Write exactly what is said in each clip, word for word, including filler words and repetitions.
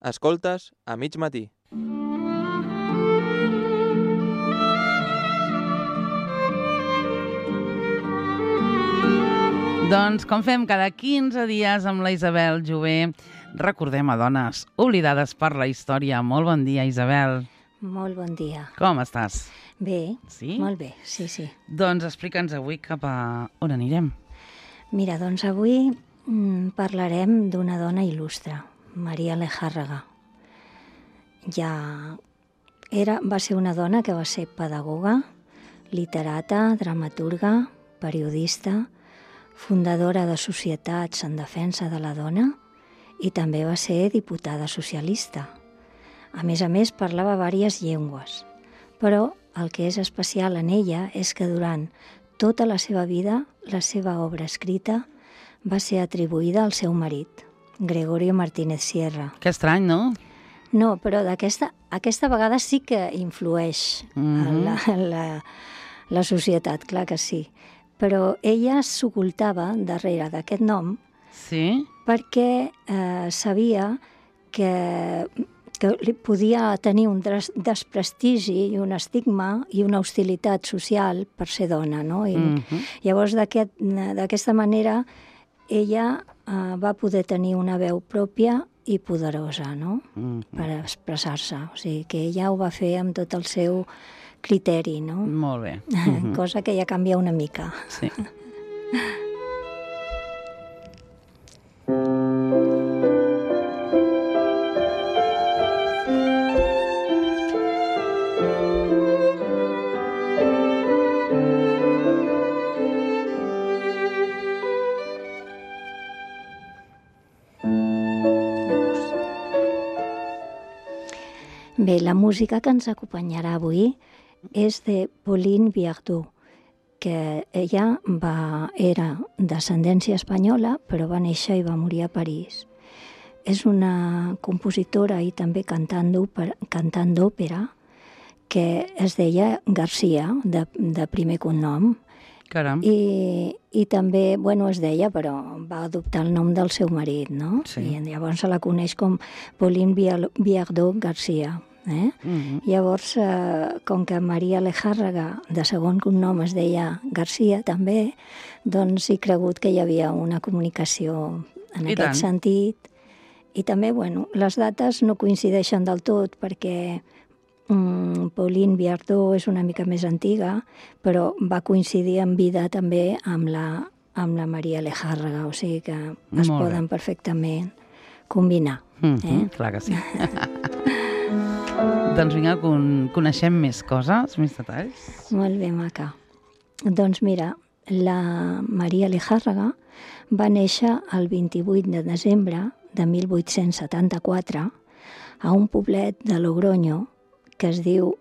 Escoltes a mig matí. Doncs, com fem cada quinze dies amb la Isabel Jové, recordem a dones oblidades per la història. Molt bon dia, Isabel. Molt bon dia. Com estàs? Bé, Sí? molt bé, sí, sí. Doncs explica'ns avui cap a on anirem. Mira, doncs avui mm, parlarem d'una dona il·lustre, Maria Lejárraga. Ja era, va ser una dona que va ser pedagoga, literata, dramaturga, periodista, fundadora de societats en defensa de la dona i també va ser diputada socialista. A més a més, parlava diverses llengües, però el que és especial en ella és que durant tota la seva vida la seva obra escrita va ser atribuïda al seu marit, Gregorio Martínez Sierra. Que estrany, no? No, però d'aquesta aquesta vegada sí que influeix Mhm. en la, en la, la societat, clar que sí. Però ella s'ocultava darrere d'aquest nom Sí? perquè eh, sabia que, que li podia tenir un des- desprestigi i un estigma i una hostilitat social per ser dona, no? I Mhm. llavors, d'aquest- d'aquesta manera, ella eh, va poder tenir una veu pròpia i poderosa, no?, Mhm. per expressar-se. O sigui, que ella ho va fer amb tot el seu criteri, no? Molt bé. Mhm. Cosa que ja canvia una mica. Sí. Bé, la música que ens acompanyarà avui és de Pauline Viardot, que ella va, era d'ascendència espanyola, però va néixer i va morir a París. És una compositora i també cantant d'òpera, cantant d'òpera que es deia Garcia, de, de primer cognom, Caram. i, i també, bueno, es deia, però va adoptar el nom del seu marit, no? Sí. I llavors se la coneix com Pauline Viardot Garcia. Eh? Mhm. Llavors, eh, com que Maria Lejárraga, de segon cognom, es deia Garcia també, doncs he cregut que hi havia una comunicació en I aquest tant. sentit. I també, bueno, les dates no coincideixen del tot perquè mm, Pauline Viardot és una mica més antiga, però va coincidir en vida també amb la, amb la Maria Lejárraga, o sigui que es Molt bé. poden perfectament combinar. Mhm. Eh? Clar que sí. Doncs vinga, con coneixem més coses, més detalls. Molt bé, maca. Doncs mira, la Maria Lejárraga va néixer el vint-i-vuit de desembre de mil vuit-cents setanta-quatre a un poblet de Logroño que es diu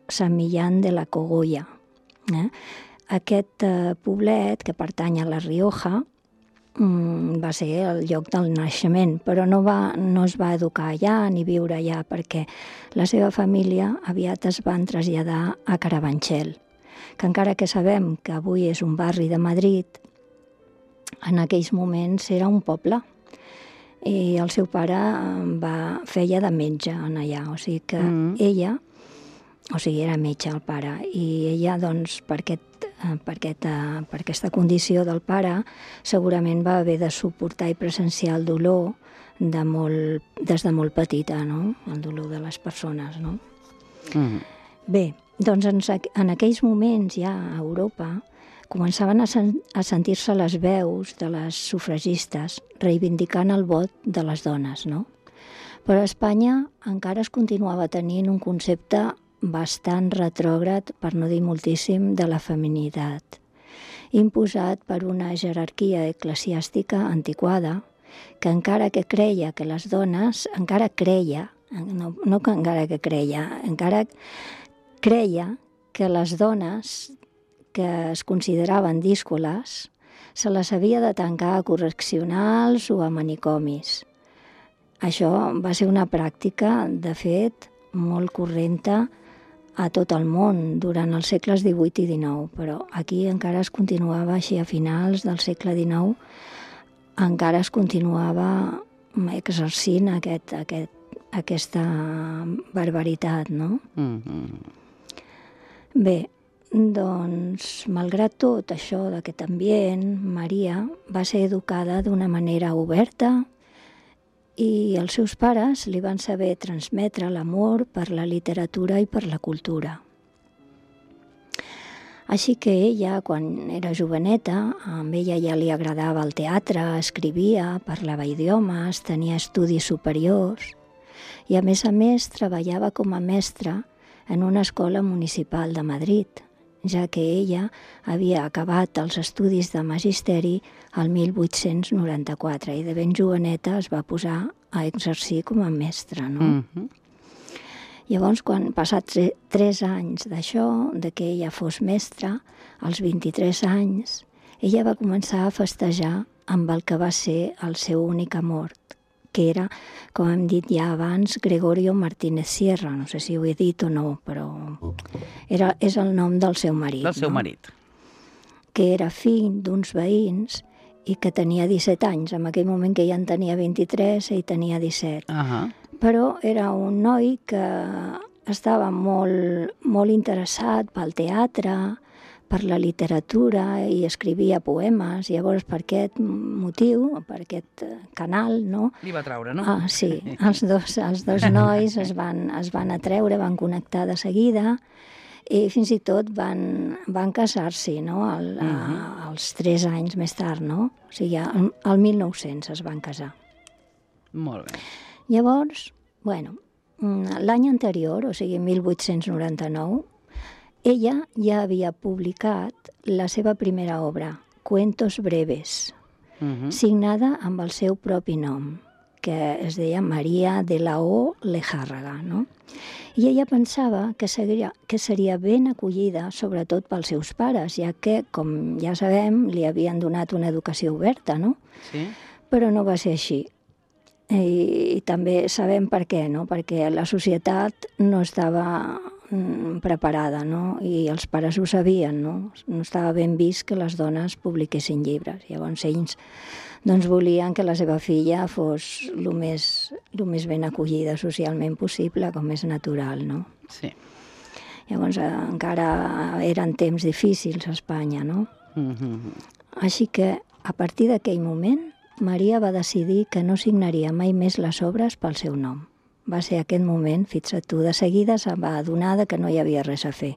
Sant Millán de la Cogolla. Eh? Aquest eh, poblet, que pertany a la Rioja, mm, va ser el lloc del naixement, però no, va, no es va educar allà ni viure allà perquè la seva família aviat es van traslladar a Carabanchel, que encara que sabem que avui és un barri de Madrid, en aquells moments era un poble. I el seu pare eh, va, feia de metge en allà, o sigui que Mm. ella, o sigui, era metge el pare, i ella, doncs, per, aquest, eh, per, aquesta, per aquesta condició del pare, segurament va haver de suportar i presenciar el dolor de molt, des de molt petita, no?, el dolor de les persones, no? Mhm. Bé, doncs en, en aquells moments ja a Europa començaven a, sen a sentir-se les veus de les sufragistes reivindicant el vot de les dones, no? Però a Espanya encara es continuava tenint un concepte bastant retrògrad, per no dir moltíssim, de la feminitat, imposat per una jerarquia eclesiàstica antiquada que encara que creia que les dones, encara creia, no, no que encara que creia, encara creia que les dones que es consideraven díscoles se les havia de tancar a correccionals o a manicomis. Això va ser una pràctica, de fet, molt correnta a tot el món durant els segles divuit i dinou, però aquí encara es continuava així a finals del segle dinou, encara es continuava exercint aquest, aquest aquesta barbaritat, no? Mm-hmm. Bé, doncs, malgrat tot això d'aquest ambient, Maria va ser educada d'una manera oberta i els seus pares li van saber transmetre l'amor per la literatura i per la cultura. Així que ella, quan era joveneta, a ella ja li agradava el teatre, escrivia, parlava idiomes, tenia estudis superiors i, a més a més, treballava com a mestra en una escola municipal de Madrid, ja que ella havia acabat els estudis de magisteri el mil vuit-cents noranta-quatre i de ben joveneta es va posar a exercir com a mestra, no? Mm-hmm. Llavors, quan passats tres anys d'això, de que ella fos mestra, als vint-i-tres anys, ella va començar a festejar amb el que va ser el seu únic amor, que era, com hem dit ja abans, Gregorio Martínez Sierra. No sé si ho he dit o no, però era, és el nom del seu marit. Del seu no? marit. Que era fill d'uns veïns i que tenia disset anys. En aquell moment que ella en tenia vint-i-tres, ell tenia disset. Uh-huh. Però era un noi que estava molt, molt interessat pel teatre, per la literatura i escrivia poemes. Llavors, per aquest motiu, per aquest canal, no? Li va traure, no? Ah, sí, els dos, els dos nois es van, es van atreure, van connectar de seguida i fins i tot van, van casar-s'hi, no? El, uh -huh. a, als tres anys més tard, no? O sigui, al, al mil nou-cents es van casar. Molt bé. Llavors, bueno, l'any anterior, o sigui, mil vuit-cents noranta-nou, ella ja havia publicat la seva primera obra, Cuentos breves, uh-huh. signada amb el seu propi nom, que es deia Maria de la O. Lejárraga, no? I ella pensava que seria, que seria ben acollida, sobretot pels seus pares, ja que, com ja sabem, li havien donat una educació oberta, no? Sí. Però no va ser així. I, i també sabem per què, no? Perquè la societat no estava preparada, no? I els pares ho sabien, no? No estava ben vist que les dones publiquessin llibres. Llavors ells doncs, volien que la seva filla fos el més, el més ben acollida socialment possible, com és natural, no? Sí. Llavors eh, encara eren temps difícils a Espanya, no? Mm-hmm. Així que, a partir d'aquell moment, Maria va decidir que no signaria mai més les obres pel seu nom. Va ser aquest moment, fixa't tu, de seguida se'n va adonar que no hi havia res a fer.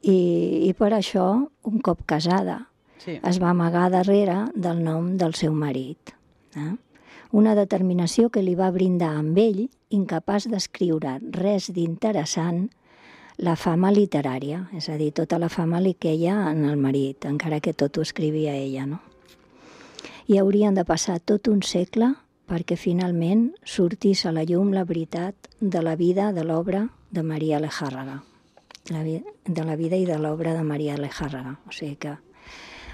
I, i per això, un cop casada, sí. es va amagar darrere del nom del seu marit. Eh? Una determinació que li va brindar amb ell, incapaç d'escriure res d'interessant, la fama literària, és a dir, tota la fama li queia en el marit, encara que tot ho escrivia ella, no? I haurien de passar tot un segle perquè finalment sortís a la llum la veritat de la vida de l'obra de Maria Lejárraga, la vi- de la vida i de l'obra de Maria Lejárraga. O sigui que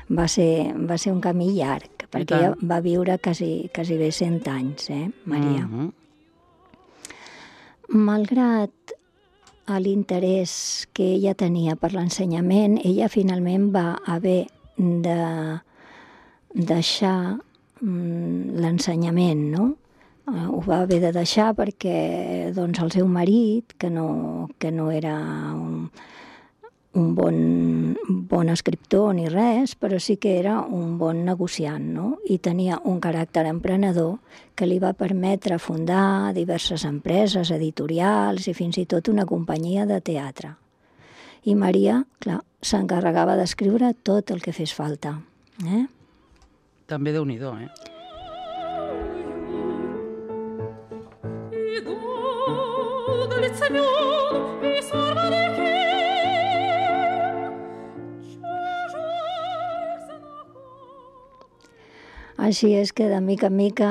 va ser, va ser un camí llarg, perquè ella va viure quasi, quasi bé cent anys, eh, Maria. Mm-hmm. Malgrat l'interès que ella tenia per l'ensenyament, ella finalment va haver de deixar mm, l'ensenyament, no? Uh, ho va haver de deixar perquè doncs, el seu marit, que no, que no era un, un bon, bon escriptor ni res, però sí que era un bon negociant, no? I tenia un caràcter emprenedor que li va permetre fundar diverses empreses editorials i fins i tot una companyia de teatre. I Maria, clar, s'encarregava d'escriure tot el que fes falta. Eh? També Déu-n'hi-do, eh? Així és que, de mica en mica,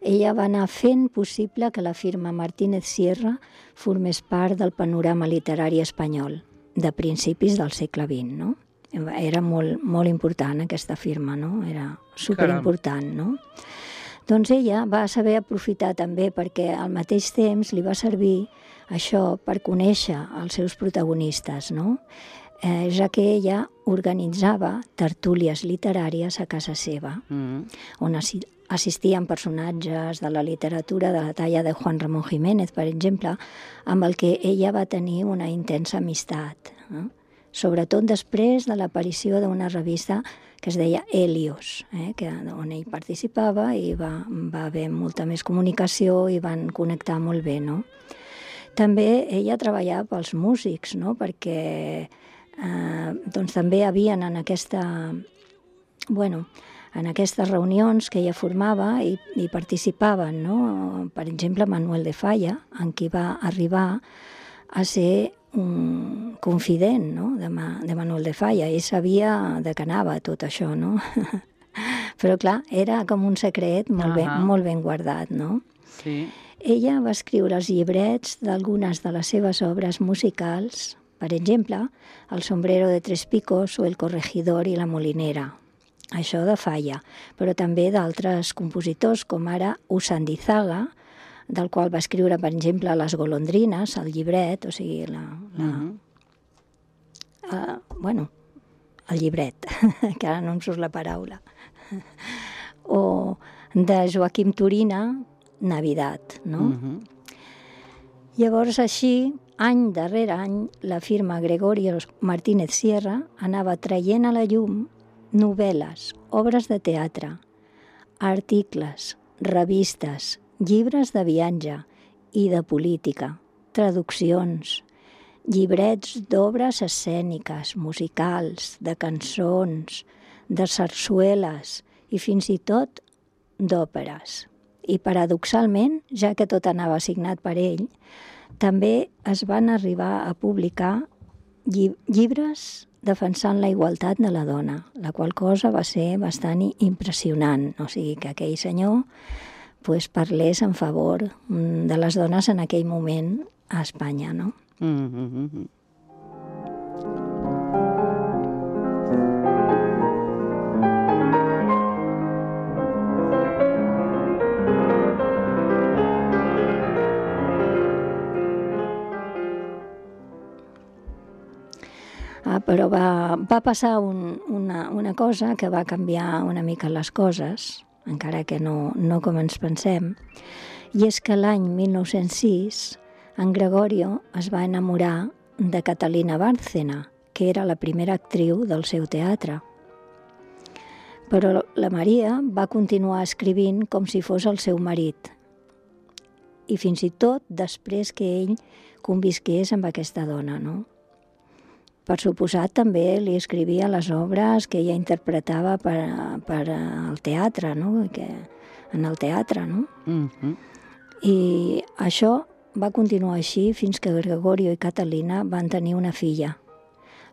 ella va anar fent possible que la firma Martínez Sierra formés part del panorama literari espanyol de principis del segle vint, no? Era molt, molt important aquesta firma, no? Era superimportant, no? Doncs ella va saber aprofitar també perquè al mateix temps li va servir això per conèixer els seus protagonistes, no? Eh, ja que ella organitzava tertúlies literàries a casa seva, Mm-hmm. on, assi assistien personatges de la literatura de la talla de Juan Ramón Jiménez, per exemple, amb el que ella va tenir una intensa amistat, eh? Sobretot després de l'aparició d'una revista que es deia Helios, eh? que, on ell participava i va, va haver molta més comunicació i van connectar molt bé, no? També ella treballava pels músics, no? Perquè eh, doncs també havien en aquesta, bueno, en aquestes reunions que ella formava i, i participaven, no? Per exemple, Manuel de Falla, en qui va arribar a ser un confident, no? de, Ma, de Manuel de Falla. Ell sabia de què anava tot això, no? Però clar, era com un secret molt, ben, molt ben guardat, no? Sí. Ella va escriure els llibrets d'algunes de les seves obres musicals, per exemple, El sombrero de tres picos o El corregidor i la molinera. Això de Falla, però també d'altres compositors, com ara Usandizaga, del qual va escriure, per exemple, Les golondrines, el llibret, o sigui, la... la uh-huh. uh, bueno, el llibret, que ara no em surt la paraula. O de Joaquim Turina, Navidad, no? Uh-huh. Llavors, així, any darrere any, la firma Gregorio Martínez Sierra anava traient a la llum novel·les, obres de teatre, articles, revistes, llibres de viatge i de política, traduccions, llibrets d'obres escèniques, musicals, de cançons, de sarsueles i fins i tot d'òperes. I paradoxalment, ja que tot anava signat per ell, també es van arribar a publicar llibres defensant la igualtat de la dona, la qual cosa va ser bastant impressionant. O sigui, que aquell senyor pues, parlés en favor de les dones en aquell moment a Espanya, no? Mm-hmm. Ah, però va, va passar un, una, una cosa que va canviar una mica les coses, encara que no, no com ens pensem, i és que l'any mil nou-cents sis en Gregorio es va enamorar de Catalina Bárcena, que era la primera actriu del seu teatre. Però la Maria va continuar escrivint com si fos el seu marit, i fins i tot després que ell convisqués amb aquesta dona, no? Per suposat, també li escrivia les obres que ella interpretava per, per al teatre, no? Que, en el teatre, no? Mm-hmm. I això va continuar així fins que Gregorio i Catalina van tenir una filla,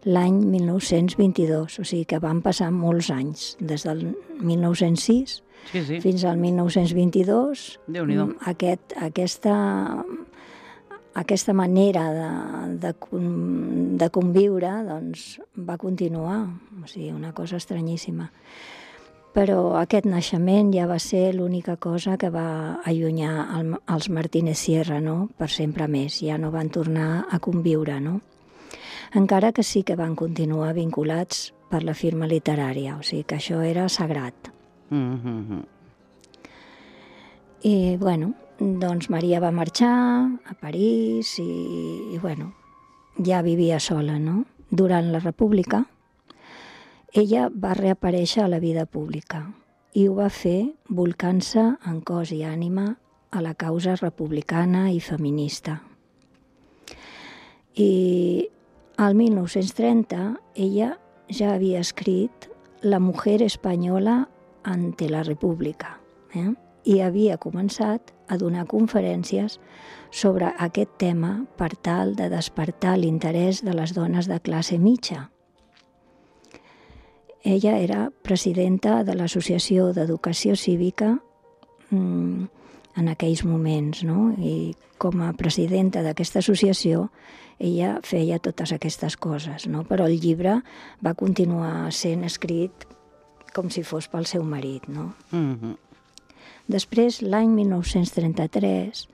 l'any mil nou-cents vint-i-dos, o sigui que van passar molts anys, des del mil nou-cents sis sí, sí. fins al mil nou-cents vint-i-dos. Déu-n'hi-do. Aquest, aquesta... Aquesta manera de, de, de conviure doncs, va continuar, o sigui, una cosa estranyíssima. Però aquest naixement ja va ser l'única cosa que va allunyar el, els Martínez Sierra, no? Per sempre més, ja no van tornar a conviure, no? Encara que sí que van continuar vinculats per la firma literària, o sigui que això era sagrat. Mm-hmm. I, bueno, doncs Maria va marxar a París i, i bueno, ja vivia sola, no? Durant la República, ella va reaparèixer a la vida pública i ho va fer volcant-se en cos i ànima a la causa republicana i feminista. I al mil nou-cents trenta ella ja havia escrit La mujer española ante la República, eh? I havia començat a donar conferències sobre aquest tema per tal de despertar l'interès de les dones de classe mitja. Ella era presidenta de l'Associació d'Educació Cívica mmm, en aquells moments, no? I com a presidenta d'aquesta associació ella feia totes aquestes coses, no? Però el llibre va continuar sent escrit com si fos pel seu marit, no? Mm-hmm. Després, l'any mil nou-cents trenta-tres,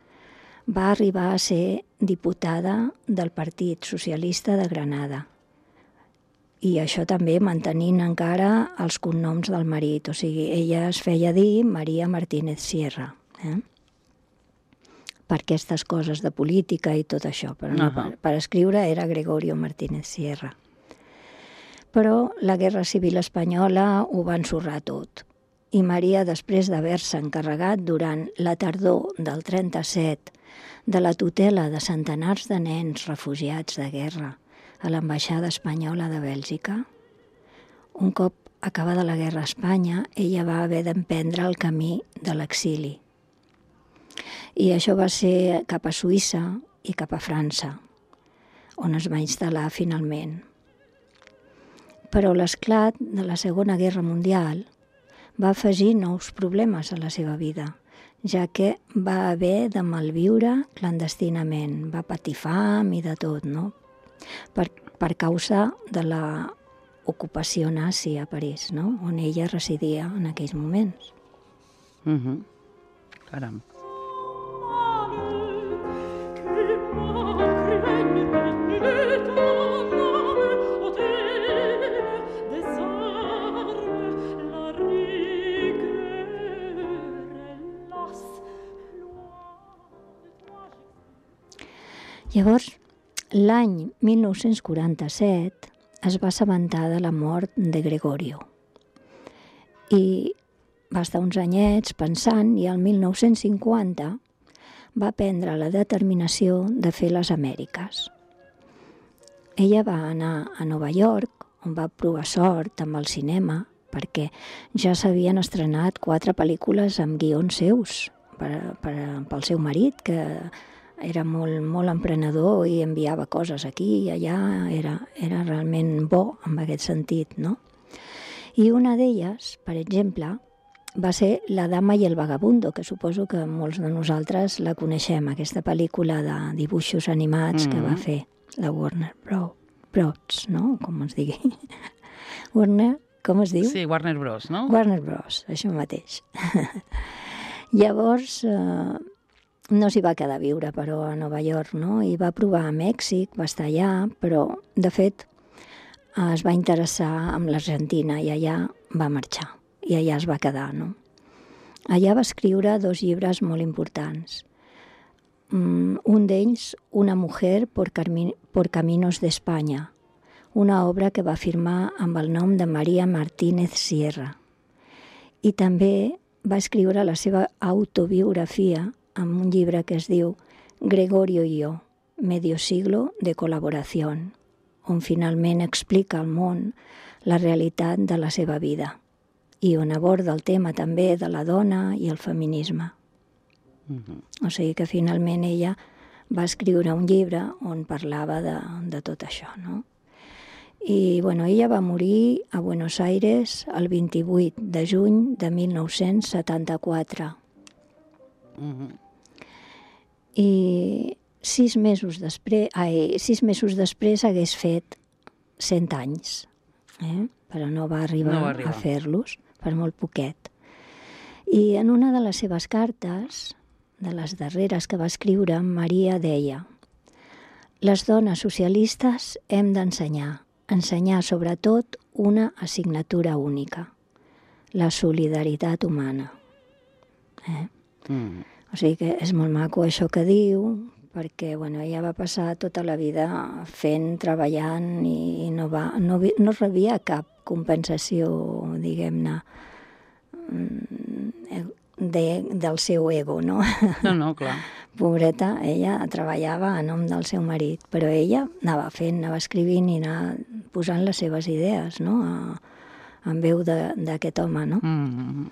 va arribar a ser diputada del Partit Socialista de Granada. i això també mantenint encara els cognoms del marit, o sigui, ella es feia dir Maria Martínez Sierra, eh? per aquestes coses de política i tot això, però no, Uh-huh. per, per escriure era Gregorio Martínez Sierra. Però la Guerra Civil Espanyola ho va ensorrar tot. I Maria, després d'haver-se encarregat durant la tardor del trenta-set de la tutela de centenars de nens refugiats de guerra a l'ambaixada espanyola de Bèlgica, un cop acabada la guerra a Espanya, ella va haver d'emprendre el camí de l'exili. I això va ser cap a Suïssa i cap a França, on es va instal·lar finalment. Però l'esclat de la Segona Guerra Mundial va afegir nous problemes a la seva vida, ja que va haver de malviure clandestinament, va patir fam i de tot, no? Per, per causa de la ocupació nazi a París, no? On ella residia en aquells moments. Uh-huh. Caram. Llavors, l'any mil nou-cents quaranta-set es va assabentar de la mort de Gregorio i va estar uns anyets pensant i el mil nou-cents cinquanta va prendre la determinació de fer les Amèriques. Ella va anar a Nova York, on va provar sort amb el cinema, perquè ja s'havien estrenat quatre pel·lícules amb guions seus per, per, pel seu marit, que era molt, molt emprenedor i enviava coses aquí i allà, era, era realment bo en aquest sentit, no? I una d'elles, per exemple, va ser La dama i el vagabundo, que suposo que molts de nosaltres la coneixem, aquesta pel·lícula de dibuixos animats mm-hmm. que va fer la Warner Bros, Bros, no? Com es digui. Warner, com es diu? Sí, Warner Bros, no? Warner Bros, això mateix. Llavors, eh, no s'hi va quedar a viure, però, a Nova York, no? I va provar a Mèxic, va estar allà, però, de fet, es va interessar amb l'Argentina i allà va marxar. I allà es va quedar, no? Allà va escriure dos llibres molt importants. Mm, un d'ells, Una mujer por, carmi- por caminos de España, una obra que va firmar amb el nom de Maria Martínez Sierra. I també va escriure la seva autobiografia amb un llibre que es diu Gregorio y yo, medio siglo de colaboración, on finalment explica al món la realitat de la seva vida i on aborda el tema també de la dona i el feminisme. Uh-huh. O sigui que finalment ella va escriure un llibre on parlava de, de tot això, no? I, bueno, ella va morir a Buenos Aires el vint-i-vuit de juny de mil nou-cents setanta-quatre. Uh-huh. I sis mesos després, ai, sis mesos després hagués fet cent anys, eh? Però no va arribar, no va arribar. a fer-los, per molt poquet. I en una de les seves cartes, de les darreres que va escriure, Maria deia: les dones socialistes hem d'ensenyar, ensenyar sobretot una assignatura única, la solidaritat humana. Eh? Mm. O sigui que és molt maco això que diu, perquè bueno, ella va passar tota la vida fent, treballant i no, va, no, no rebia cap compensació, diguem-ne, de, del seu ego, no? No, no, clar. Pobreta, ella treballava a nom del seu marit, però ella anava fent, anava escrivint i anava posant les seves idees, no? A, en veu d'aquest home, no? Mm-hmm.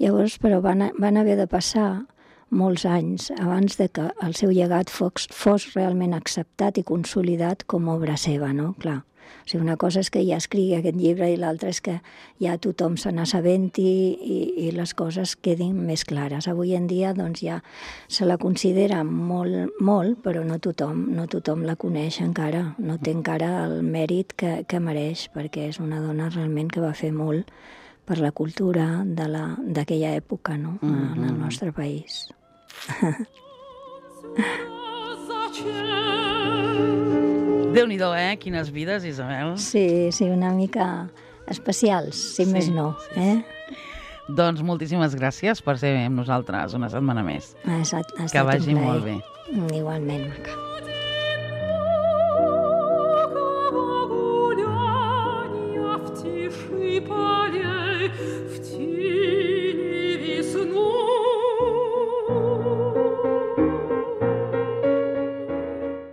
Llavors, però van, van haver de passar molts anys abans de que el seu llegat fos, fos realment acceptat i consolidat com a obra seva, no? Clar. O sigui, una cosa és que ja escrigui aquest llibre i l'altra és que ja tothom se n'assabenti i, i les coses quedin més clares. Avui en dia doncs, ja se la considera molt, molt, però no tothom, no tothom la coneix encara, no té encara el mèrit que, que mereix, perquè és una dona realment que va fer molt per la cultura d'aquella època, no? Mm-hmm. En el nostre país. Déu-n'hi-do, eh? Quines vides, Isabel. Sí, sí, una mica especials, si Sí, més no. sí, Eh? Doncs moltíssimes gràcies per ser amb nosaltres una setmana més. Ha estat, ha Que estat vagi un plaer. molt bé. Igualment, Maca. В тени весну